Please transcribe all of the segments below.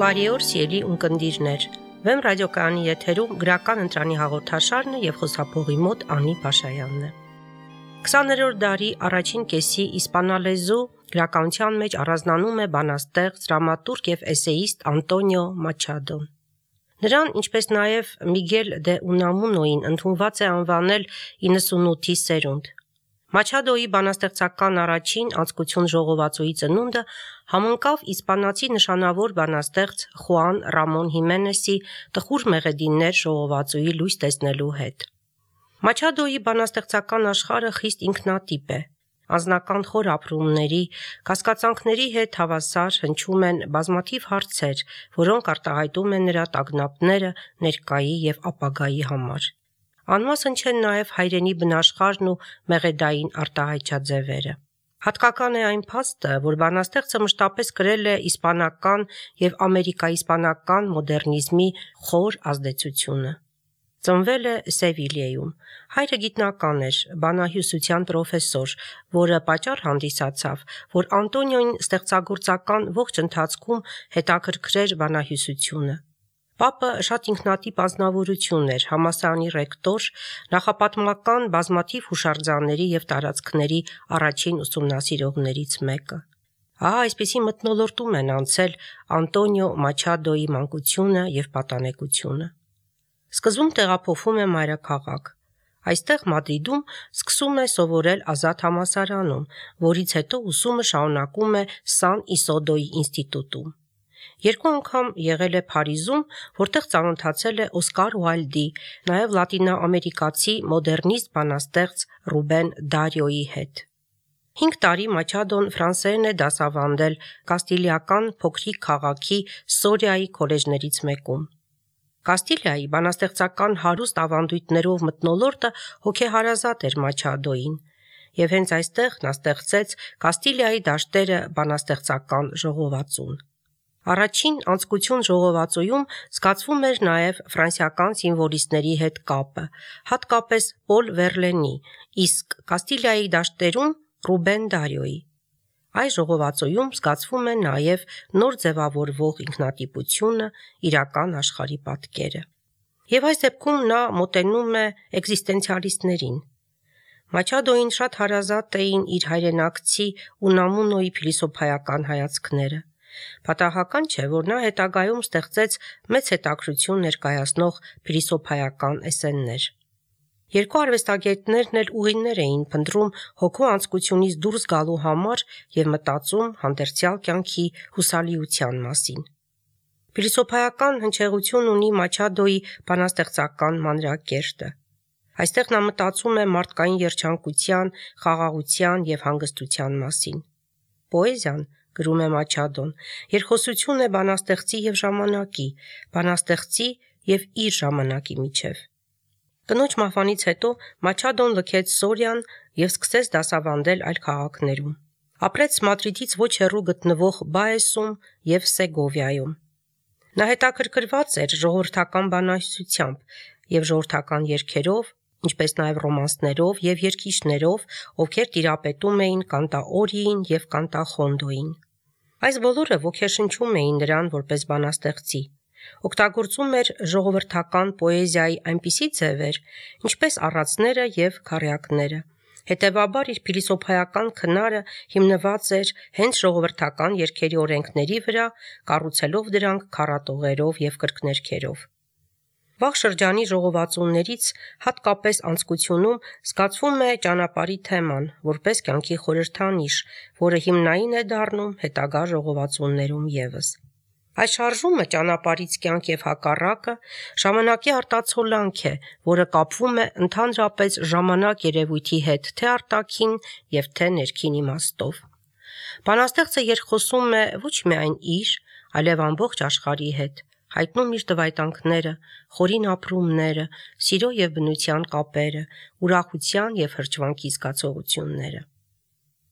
Բարի օր, սիրելի ունկնդիրներ։ Վեմ ռադիոկայանի եթերում գրական ընտրանի հաղորդաշարն է եւ խոսափողի մոտ Անի Փաշայանն է։ 20-րդ դարի առաջին կեսի իսպանալեզու գրականության մեջ առանձնանում է բանաստեղծ, դրամատուրգ եւ էսեիստ Անտոնիո Մաչադոն։ Նրան, ինչպես նաեւ Միգել դե Ունամունոին, ընդունված է անվանել 98-ի սերունդ։ Մաչադոյի բանաստեղծական առաջին անցկություն ժողովածուի ծնունդը համընկավ իսպանացի նշանավոր բանաստեղծ Խուան Ռամոն Հիմենեսի «Տխուր մեղեդիներ» ժողովածուի լույս տեսնելու հետ։ Մաչադոյի բանաստեղծական աշխարհը խիստ ինքնատիպ է։ Անձնական խոր ապրումների, կասկածանքների հետ հավասար հնչում են բազմաթիվ հարցեր, որոնք արտահայտում են նրա տագնապները ներկայի եւ ապագայի համար։ Անմասն չեն նաև հայրենի բնաշխարհն ու մեղեդային արտահայտչաձևերը։ Հատկական է այն փաստը, որ բանաստեղծը մշտապես կրել է իսպանական եւ ամերիկա-իսպանական մոդեռնիզմի խոր ազդեցությունը։ Ծնվել է Սևիլիայում։ Հայրը գիտնական էր, բանահյուսության պրոֆեսոր, որը պատճառ հանդիսացավ, որ Անտոնիոին ստեղծագործական ողջ ընթացքում հետաքրքրեր բանահյուսությունը։ Պապը շատ ինքնատիպ անձնավորություն էր, համալսարանի ռեկտոր, նախապատմական բազմաթիվ հուշարձանների եւ տարածքների առաջին ուսումնասիրողներից մեկը։ Այսպիսի մթնոլորտում են անցել Անտոնիո Մաչադոյի մանկությունը եւ պատանեկությունը։ Սկզբում տեղափոխվում է մայրաքաղաք։ Այստեղ Մադրիդում սկսում է սովորել Ազատ համալսարանում, որից հետո ուսումը շարունակում է Սան Իսոդոյի ինստիտուտում։ Երկու անգամ եղել է Փարիզում, որտեղ ծանոթացել է Օսկար Ուայլդի, նաև լատինաամերիկացի մոդեռնիստ բանաստեղծ Ռուբեն Դարիոյի հետ։ 5 տարի Մաչադոն ֆրանսերեն է դասավանդել Կաստիլիական փոքրիկ քաղաքի Սորիայի քոլեջներից մեկում։ Կաստիլիայի բանաստեղծական հարուստ ավանդույթներով մթնոլորտը հոգեհարազատ էր Մաչադոյին, եւ հենց այստեղ նա ստեղծեց Կաստիլիայի դաշտերը բանաստեղծական ժողովածուն։ Առաջին անցկություն ժողովածուում զգացվում էր նաև ֆրանսիական սիմվոլիստների հետ կապը, հատկապես Պոլ Վերլենի, իսկ Կաստիլիայի դաշտերում Ռուբեն Դարիոյի։ Այս ժողովածուում զգացվում է նաև նոր ձևավորվող ինքնատիպությունը, իրական աշխարհի պատկերը։ Եվ այս դեպքում նա մոտենում է էկզիստենցիալիստներին։ Մաչադոյին շատ հարազատ էին իր հայրենակցի Ունամունոյի փիլիսոփայական հայացքները։ Պատահական չէ, որ նա հետագայում ստեղծեց մեծ հետաքրքրություն ներկայացնող փիլիսոփայական էսսեներ։ Երկու արվեստագետներն էլ ուղիներ էին փնտրում հոգու անցկությունից դուրս գալու համար եւ մտածում հանդերձյալ կյանքի հուսալիության մասին։ Փիլիսոփայական հնչեղություն ունի Մաչադոյի բանաստեղծական մանրակերտը։ Այստեղ նա մտածում է մարդկային երջանկության, խաղաղության եւ հանգստության մասին։ Պոեզիան, գրում է Մաչադոն, երկխոսություն է բանաստեղծի եւ ժամանակի, բանաստեղծի եւ իր ժամանակի միջև։ Կնոջ մահվանից հետո Մաչադոն լքեց Սորիան եւ սկսեց դասավանդել այլ քաղաքներում։ Ապրեց Մադրիդից ոչ հեռու գտնվող Բայեսում եւ Սեգովիայում։ Նա հետաքրքրված էր ժողովրդական բանահյուսությամբ եւ ժողովրդական երգերով, ինչպես նաև ռոմանսներով եւ երգիչներով, ովքեր տիրապետում էին կանտաօրիին եւ կանտախոնդոյին։ Այս բոլորը ոգեշնչում էին նրան որպես բանաստեղծի։ Օգտագործում էր ժողովրդական պոեզիայի այնպիսի ձևեր, ինչպես առածները եւ քառյակները։ Հետևաբար իր փիլիսոփայական քնարը հիմնված էր հենց ժողովրդական երգերի օրենքների վրա, կառուցելով դրանք քառատողերով եւ կրկներգերով։ Վաղ շրջանի ժողովածուներից, հատկապես անցկությունում, զգացվում է ճանապարհի թեման, որպես կյանքի խորհրդանիշ, որը հիմնային է դառնում հետագա ժողովածուներում եւս։ Այս շարժումը ճանապարհից կյանք եւ հակառակը ժամանակի արտացոլանք է, որը կապվում է ընդհանրապես ժամանակ երևույթի հետ թե արտաքին եւ թե ներքին իմաստով։ Բանաստեղծը երկխոսում է ոչ միայն իր, այլև ամբողջ աշխարհի հետ, հայտնում իր տվայտանքները, խորին ապրումները, սիրո եւ բնության կապերը, ուրախության եւ հրճվանքի զգացողությունները։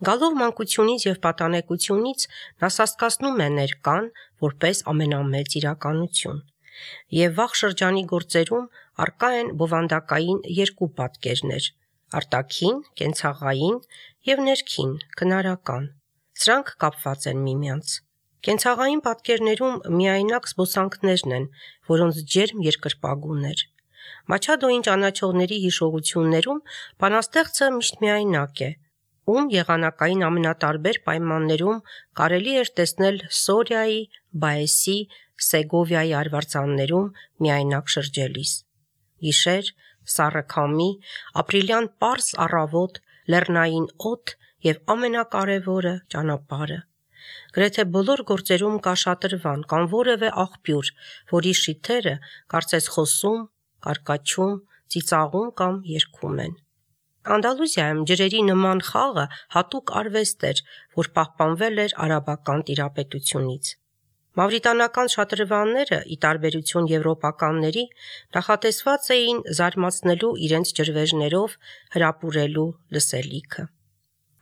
Գալով մանկությունից եւ պատանեկությունից նա սաստկացնում է ներկան որպես ամենամեծ իրականություն։ Եվ վաղ շրջանի գործերում առկա են բովանդակային երկու պատկերներ՝ արտաքին, կենցաղային եւ ներքին, քնարական։ Սրանք կապված են միմյանց։ Կենցաղային պատկերներում միայնակ զբոսանքներն են, որոնց ջերմ երկրպագուն էր։ Մաչադոյին ճանաչողների հիշողություններում բանաստեղծը միշտ միայնակ է, ում եղանակային ամենատարբեր պայմաններում կարելի էր տեսնել Սորիայի, Բայեսի, Սեգովիայի արվարձաններում միայնակ շրջելիս։ Գիշեր, սառը քամի, ապրիլյան պարզ առավոտ, լեռնային օդ եւ ամենակարևորը ճանապարհը։ Գրեթե բոլոր գործերում կա շատրվան կամ որևէ աղբյուր, որի շիթերը կարծես խոսում, կարկաչում, ծիծաղում կամ երգում են։ Անդալուզիայում ջրերի նման խաղը հատուկ արվեստ էր, որ պահպանվել էր արաբական տիրապետությունից։ Մավրիտանական շատրվանները, ի տարբերություն եվրոպականների, նախատեսված էին զարմացնելու իրենց ջրվեժներով հրապուրելու լսելիքը։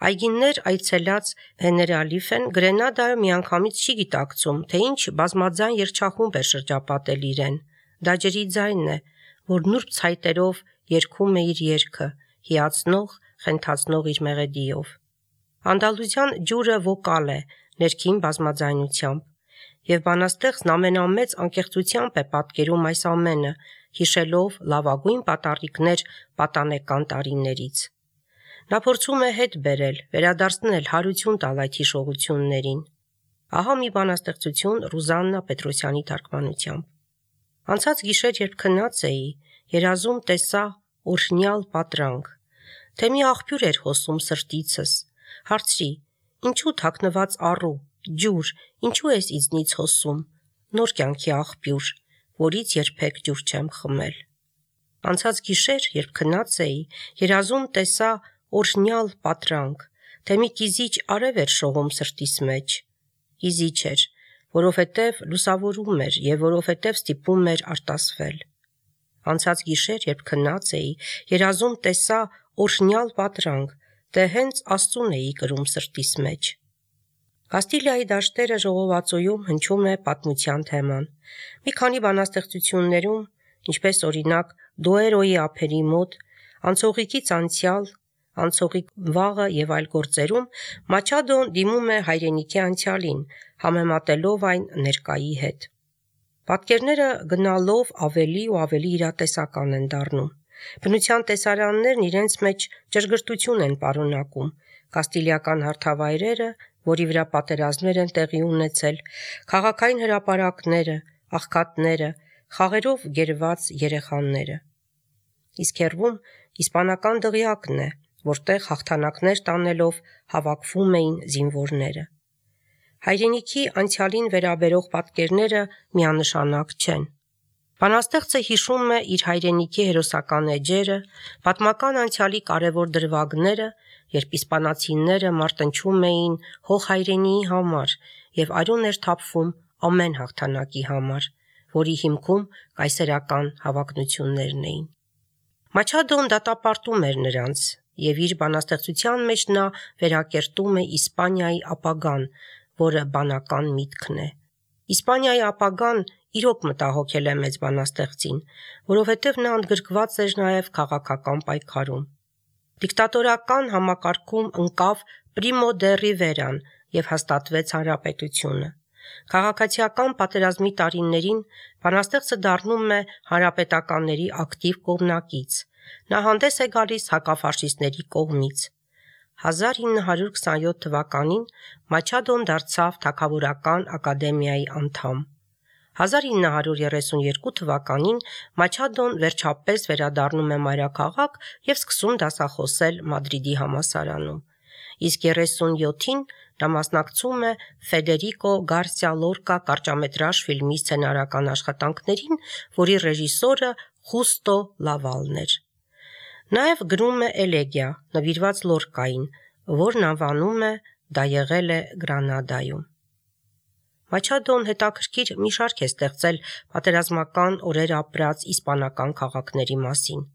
Այգիներ այցելած Հեներալիֆեն Գրենադայում միանգամից չի գիտակցում, թե ինչ բազմաձայն երգչախումբ էր շրջապատել իրեն։ Դա ջրի ձայնն է, որ նուրբ ցայտերով երգում է իր երգը, հիացնող, խենթացնող իր մեղեդիով։ Անդալուզյան ջուրը վոկալ է, ներքին բազմաձայնությամբ, եւ բանաստեղծն ամենամեծ անկեղծությամբ է պատկերում այս ամենը, հիշելով լավագույն պատառիկներ պատանեկան տարիներից։ Նա փորձում է հետ բերել, վերադարձնել, հարություն տալ այդ հիշողություններին։ Ահա մի բանաստեղծություն Ռուզաննա Պետրոսյանի թարգմանությամբ։ Անցած գիշեր, երբ քնած էի, երազում տեսա օրհնյալ պատրանք, թե մի աղբյուր էր հոսում սրտիցս, հարցրի. ինչու թաքնված առու, ջուր, ինչու ես ինձնից հոսում, նոր կյանքի աղբյուր, որից երբեք ջուր չեմ խմել։ Անցած գիշեր, երբ քնած էի, երազում տեսա օրհնյալ պատրանք, թե մի կիզիչ արև էր շողում սրտիս մեջ։ Կիզիչ էր, որովհետև լուսավորում էր եւ որովհետև ստիպում էր արտասվել։ Անցած գիշեր, երբ քնած էի, երազում տեսա օրհնյալ պատրանք, թե հենց Աստծուն էի կրում սրտիս մեջ։ Կաստիլիայի դաշտերը ժողովածոյում հնչում է պատմության թեման։ Մի քանի բանաստեղծություններում, ինչպես օրինակ Դոերոյի ափերի մոտ, անցողիկից անցյալ, անցողիկ վաղը եւ այլ գործերում Մաչադոն դիմում է հայրենիքի անցյալին, համեմատելով այն ներկայի հետ։ Պատկերները գնալով ավելի ու ավելի իրատեսական են դառնում։ Բնության տեսարաններն իրենց մեջ ճշգրտություն են պարունակում, կաստիլիական հարթավայրերը, որի վրա պատերազմներ են տեղի ունեցել, քաղաքային հրապարակները, աղքատները, խաղերով գերված երեխաները։ Իսկ հեռվում իսպանական դղյակն է, որտեղ հաղթանակներ տանելով հավաքվում էին զինվորները։ Հայրենիքի անցյալին վերաբերող պատկերները միանշանակ չեն։ Բանաստեղծը հիշում է իր հայրենիքի հերոսական էջերը, պատմական անցյալի կարևոր դրվագները, երբ իսպանացիները մարտնչում էին հող հայրենիի համար եւ արյուն էր թափվում ամեն հաղթանակի համար, որի հիմքում կայսերական հավակնություններն էին։ Մաչադոն դատապարտում էր նրանց, եւ իր բանաստեղծության մեջ նա վերակերտում է Իսպանիայի ապագան, որը բանական միտքն է։ Իսպանիայի ապագան իրոք մտահոգել է մեծ բանաստեղծին, որովհետև նա ընդգրկված էր նաև քաղաքական պայքարում։ Դիկտատորական համակարգում ընկավ Պրիմո դե Ռիվերան եւ հաստատվեց հանրապետությունը։ Քաղաքացիական պատերազմի տարիներին բանաստեղծը դառնում է հանրապետականների ակտիվ կողմնակից։ Նա հանդես է գալիս հակաֆաշիստների կողմից։ 1927 թվականին Մաչադոն դարձավ Թագավորական ակադեմիայի անդամ։ 1932 թվականին Մաչադոն վերջապես վերադառնում է մայրաքաղաք եւ սկսում դասախոսել Մադրիդի համալսարանում։ Իսկ 37-ին նա մասնակցում է Ֆեդերիկո Գարսիա Լորկա կարճամետրաժ ֆիլմի սցենարական աշխատանքներին, որի ռեժիսորը Խուստո Լավալն էր։ Նաև գրում է էլեգիա, նվիրված Լորկային, որն անվանում է «Դա եղել է Գրանադայում»։ Մաչադոն հետաքրքիր մի շարք է ստեղծել պատերազմական օրեր ապրած իսպանական քաղաքների մասին։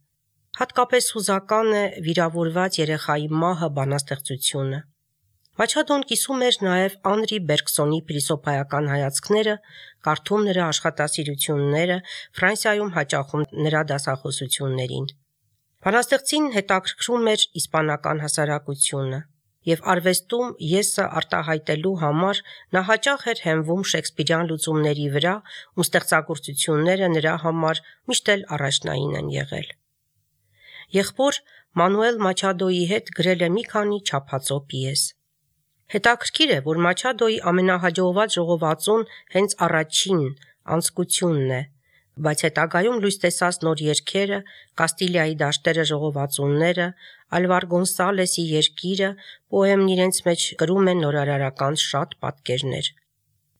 Հատկապես հուզական է վիրավորված երեխայի մահը բանաստեղծությունը։ Մաչադոն կիսում էր նաև Անրի Բերգսոնի փիլիսոփայական հայացքները, կարդում նրա աշխատասիրությունները, Ֆրանսիայում հաճախում նրա դասախոսություններին։ Բանաստեղծին հետաքրքրում էր իսպանական հասարակությունը։ եւ արվեստում եսը արտահայտելու համար նա հաճախ էր հենվում շեքսպիրյան լուծումների վրա, ու ստեղծագործությունները նրա համար միշտ էլ առաջնային են եղել։ Եղբոր Մանուել Մաչադոյի հետ գրել է մի քանի չափածո պիես։ Հետաքրքիր է, որ Մաչադոյի ամենահաջողված ժողովածուն հենց առաջին անցկությունն է, բայց հետագայում լույս տեսած նոր երգերը, Կաստիլիայի դաշտերը ժողովածունները, Ալվար Գոնսալեսի երկիրը, պոեմն իրենց մեջ կրում են նորարարական շատ պատկերներ։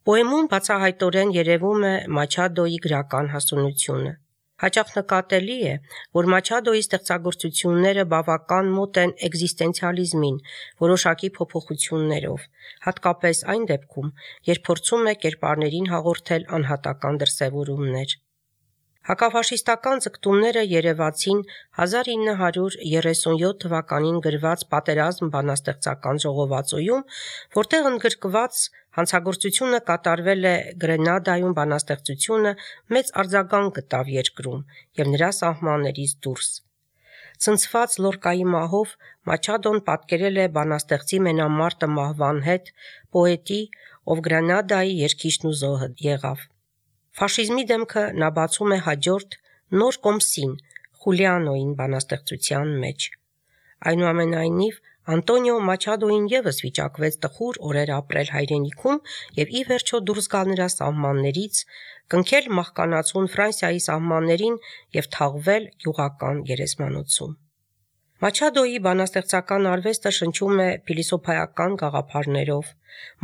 Պոեմում բացահայտորեն երևում է Մաչադոյի գրական հասունությունը։ Հաճախ նկատելի է, որ Մաչադոյի ստեղծագործությունները բավական մոտ են էկզիստենցիալիզմին, որոշակի փոփոխություններով, հատկապես այն դեպքում, երբ փորձում է կերպարներին հաղորդել անհատական դրսևորումներ։ Հակաֆաշիստական ձգտումները երևացին 1937 թվականին գրված «Պատերազմ» բանաստեղծական ժողովածոյում, որտեղ ընդգրկված հանցագործությունը կատարվել է Գրենադայում բանաստեղծությունը մեծ արձագանք գտավ երկրում և նրա սահմաններից դուրս։ Ցնցված Լորկայի մահով Մաչադոն պատկերել է բանաստեղծի մենամարտը մահվան հետ, պոետի, ով Գրենադայի երգիչն ու զոհը եղավ։ Ֆաշիզմի դեմքը նա բացում է հաջորդ նոր կոմսին Խուլիանոյին բանաստեղծության մեջ։ Այնուամենայնիվ Անտոնիո Մաչադոյին ևս վիճակվեց տխուր օրեր ապրել հայրենիքում և ի վերջո դուրս գալ նրա սահմաններից, կնքել մահկանացուն Ֆրանսիայի սահմաններին և թաղվել գյուղական գերեզմանոցում։ Մաչադոյի բանաստեղծական արվեստը շնչում է փիլիսոփայական գաղափարներով,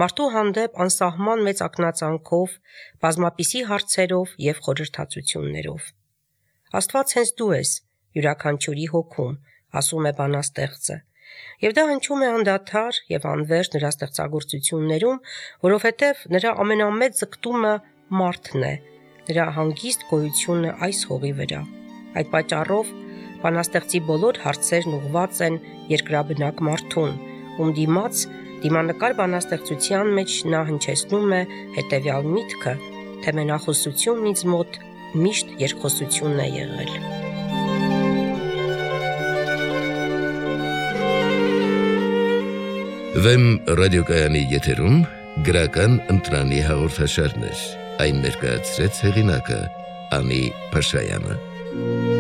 մարդու հանդեպ անսահման մեծ ակնածանքով, բազմապիսի հարցերով և խորհրդածություններով։ Աստված հենց դու ես յուրաքանչյուրի հոգում, ասում է բանաստեղծը, և դա հնչում է անդադար և անվերջ նրա ստեղծագործություններում, որովհետև նրա ամենամեծ ձգտումը մարդն է, նրա հանգիստ գոյությունը այս հողի վրա։ Այդ պատճառով բանաստեղծի բոլոր հարցերն ուղղված են երկրաբնակ մարդուն, ում դիմաց դիմանկար բանաստեղծության մեջ նա հնչեցնում է հետևյալ միտքը, թե մենախոսությունն ինձ մոտ միշտ երկխոսությունն է եղել։ Վեմ ռադիոկայանի եթերում գրական ընտրանի հաղորդաշարներ, այն ներկայացրեց հեղինակը Անի Փաշայանը։